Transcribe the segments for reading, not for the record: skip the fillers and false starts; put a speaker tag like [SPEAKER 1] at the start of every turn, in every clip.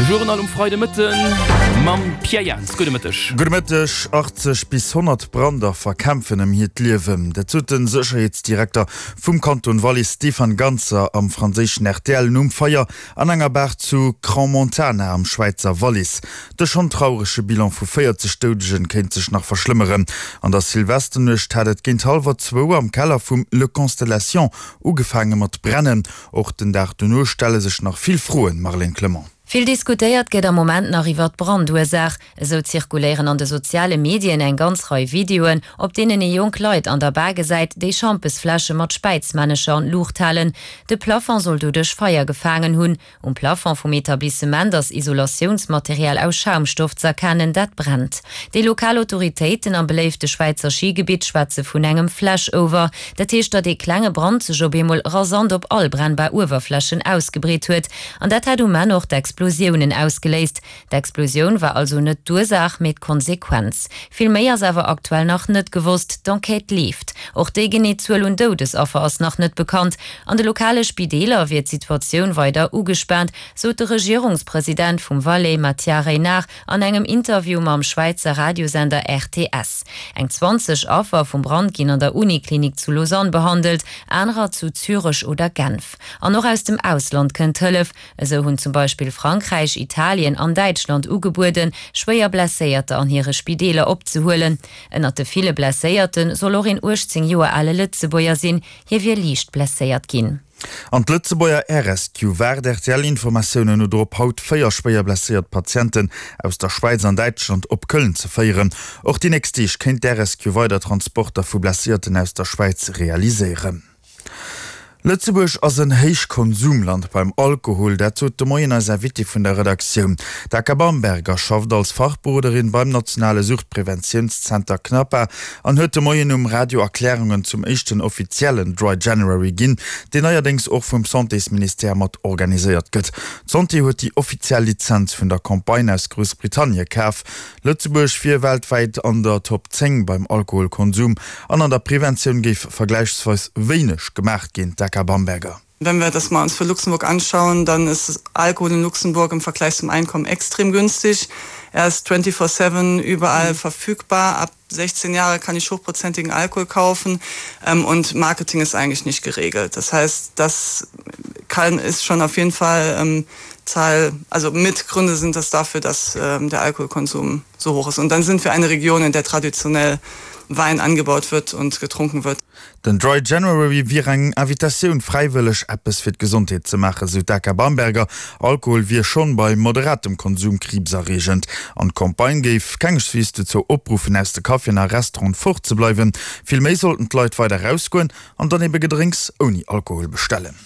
[SPEAKER 1] De Journal um Freidemëtten mam Pierre Jans. Gudde Mëtteg.
[SPEAKER 2] Gudde Mëtteg. 80 bis 100 Brandaffer kämpfen ëm hiert Liewen. Dat sot de Sécherheetsdirekter vum Kanton Wallis Stefan Ganzer am franséischen rtl nom Feier an enger Bar zu Crans-Montana am Schwäizer Wallis. De schonn traurege Bilan vu 40 Doudegen kéint sech nach verschlëmmeren. An der Silvesternuecht hat et géint hallwer zwou am Keller vum Le Constellation ugefaange mat brennen. Och den Dag dono stelle sech nach vill Froen, Marlène Clement.
[SPEAKER 3] Vill diskutéiert gëtt am Moment nach iwwer d'Brandursaach. Esou zirkuléieren an de soziale Medien eng ganz Rei Videoen, op deenen ee jonk Leit an der Bar gesäit, déi Schampesfläsche mat Späizmännecher an d'Luucht halen. De Plafond soll doduerch Feier gefaangen hunn. Um Plafond vum Etablissement ass Isolatiounsmaterial aus Schaumstoff z'erkennen, dat brennt. Déi lokal Autoritéiten am beléifte Schwäizer Schigebitt schwätze vun engem Flashover. Dat heescht, datt ee klenge Brand sech op eemol rasant op all brennbar Uewerflächen ausgebreet huet. An dat hätt um Enn och d'Explosiounen ausgeléist. D'Explosioun war also net d'Ursaach, mee d'Konsequenz. Vill méi ass awer aktuell nach net gewosst, d'Enquête leeft. Och déi genee Zuel un Doudesaffer ass nach net bekannt. An de lokale Spideeler wier d'Situatioun weider ugespaant, sot de Regierungspresident vum Valais Mathias Reynard an engem Interview mam Schwäizer Radiosender RTS. Eng 20 Affer vum Brand ginn an der Uniklinik zu Lausanne behandelt, anerer zu Zürech oder Genf. An och aus dem Ausland kënnt Hëllef. Esou hunn zum Beispill Frankräich, Italien an Däitschland ugebueden, schwéier Blesséierter an hire Spideeler opzehuelen. Ënnert de ville Blesséierte soll och een 18 Joer ale Lëtzebuerger sinn. Hie wier liicht blesséiert ginn.
[SPEAKER 2] An d'Lëtzebuerger Air Rescue waart RTL-Informatiounen no drop, haut 4 schwéier blesséiert Patienten aus der Schwäiz an Däitschland op Köln ze féieren. Och déi nächst Deeg kéint d'Air Rescue weider Transporter vu Blesséierten aus der Schwäiz realiséieren. Lëtzebuerg ass en Héichkonsumland beim Alkohol, dat sot de Moien eis Invitée vun der Redaktioun. D'Aka Bamberger schafft als Fachberoderin beim nationale Suchtpreventiounszenter CNAPA an huet de Moien um Radio Erklärungen zum éischten offiziellen Dry January ginn, deen neierdéngs och vum Santésministère mat organiséiert gëtt. D'Santé huet déi offiziell Lizenz vun der Campagne aus Groussbritannie kaf. Lëtzebuerg wier weltwäit an der Top 10 beim Alkoholkonsum an an der Preventioun géif vergläichsweis wéineg gemaach ginn, d'Aka Bamberger.
[SPEAKER 4] Wenn wir das mal uns für Luxemburg anschauen, dann ist Alkohol in Luxemburg im Vergleich zum Einkommen extrem günstig. Er ist 24/7 überall verfügbar. Ab 16 Jahre kann ich hochprozentigen Alkohol kaufen ähm, und Marketing ist eigentlich nicht geregelt. Das heißt, das kann ist schon auf jeden Fall ähm, Zahl also Mitgründe sind das dafür, dass ähm, der Alkoholkonsum so hoch ist. Und dann sind wir eine Region, in der traditionell Wein angebaut wird und getrunken wird.
[SPEAKER 2] Den Dry January wier eng Invitatioun, fräiwëlleg eppes fir d'Gesondheet ze maachen, sou d'Aka Bamberger. Alkohol wier schonn bei moderatem Konsum kriibserreegend. An d'Campagne géif kengeswees dozou opruffen, aus de Caféen a Restauranten fort ze bleiwen. Vill méi sollten d'Leit weider erausgoen an dann ebe Gedrénks ouni Alkohol bestellen.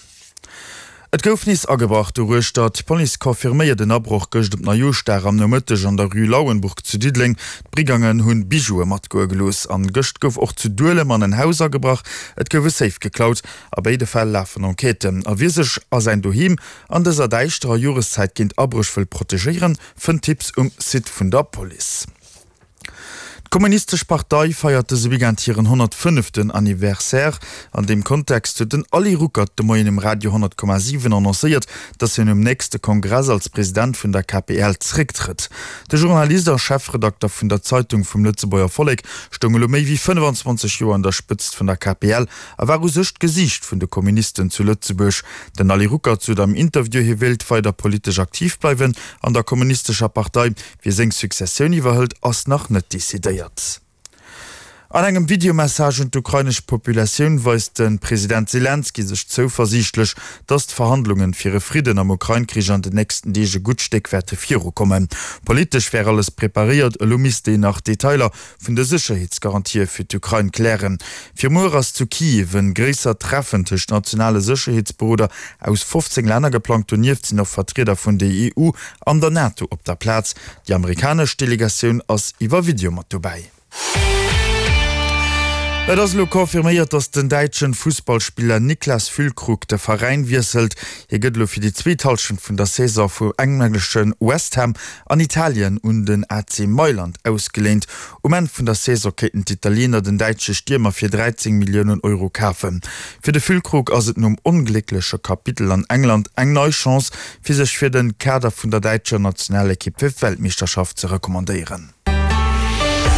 [SPEAKER 2] Et gouf nees agebrach doruechter. D'Police confirméiert en Abroch gëscht op Neijooschdag am Nomëtteg an der Rue Lauenburg zu Diddeleng. D'Brigangen hunn Bijoue matgoe gelooss. An gëscht gouf och zu Duelem an en Haus agebrach. Et gouf e Safe geklaut. A béide Fäll lafen Enquêten. A wie sech a säin Doheem an dëser däischterer Joreszäit géint Abréch wëll protegéieren, fënnt Tipps um Site vun der Police. D'Kommunistesch Partei feiert dëse Weekend hiren 105. Anniversaire. An deem Kontext huet den Ali Ruckert de Moien um Radio 100,7 annoncéiert, datt hien um nächste Kongress als President vun der KPL zrécktrëtt. De Journalist a Chefredakter vun der Zeitung vum Lëtzebuerger Vollek stoung elo méi wéi 25 Joer un der Spëtzt vun der KPL a war u sech d'Gesiicht vun de Kommunisten zu Lëtzebuerg. Den Ali Ruckert sot am Interview, hie wéilt weider politesch aktiv bleiwen an der Kommunistescher Partei. Wie seng Successioun iwwerhëlt, ass nach net decidéiert. An engem Videomessage un d'ukrainesch Populatioun weist de President Selenskyj sech zouversiichtlech, datt d'Verhandlungen fir e Fridden am Ukrain-Krich an den nächsten Deeg e gutt Stéck wäerte virukommen. Politesch wär alles preparéiert, elo misst een nach d'Detailer vun de Sécherheetsgarantië fir d'Ukrain klären. Fir muer ass zu Kiew en gréissert Treffen tëscht nationale Sécherheetsberoder aus 15 Länner geplangt. Donieft sinn och Vertrieder vun der EU an der NATO op der Plaz. Déi amerikanesch Delegatioun ass iwwer Video mat dobäi. Et ass elo confirméiert, datt den däitschen Fussballspiller Niklas Füllkrug de Veräin wiesselt. Hie gëtt elo fir déi zweet Hallschent vun der Saison vu englesche West Ham an Italien un den AC Mailand ausgeléint. Um Enn vun der Saison kéinten d'Italiener den däitsche Stiermer fir 13 Milliounen Euro kafen. Fir de Füllkrug ass et nom ongléckleche Kapitel an England eng nei Chance, fir sech fir de Kader vun der däitscher Nationalekipp fir d'Weltmeeschterschaft ze recommandéieren.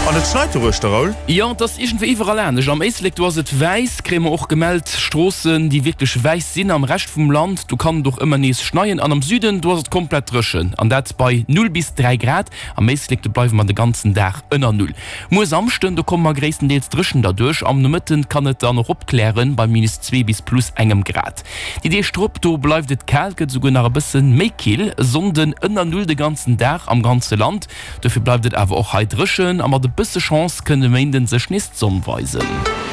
[SPEAKER 2] An et schneit doruechter, Raoul?
[SPEAKER 1] Jo, et ass iergendwéi iwwerall anescht. Am Éislek, do ass et wäiss, kréie mer och gemellt. Stroossen, déi wierklech wäiss sinn. Am Rescht vum Land, do kann et och ëmmer nees schneien. An am Süden, do ass et komplett dréchen, an dat bei 0 bis 3 Grad. Am Éislek, do bleiwe mer de ganzen Dag ënner Null. Muer Samschden, do komme mer gréisstendeels dréchen derduerch. Am Nomëtten kann et dann och opklären, bei minus 2 bis plus engem Grad. Déi Deeg drop, do bleift et kal, gëtt esouguer nach e bësse méi kill. E Sonnden ënner Null de ganzen Dag am ganze Land. Dofir bleift et awer och hei dréchen a mat e bësse Chance kënnt e Méinden sech nees d'Sonn weisen.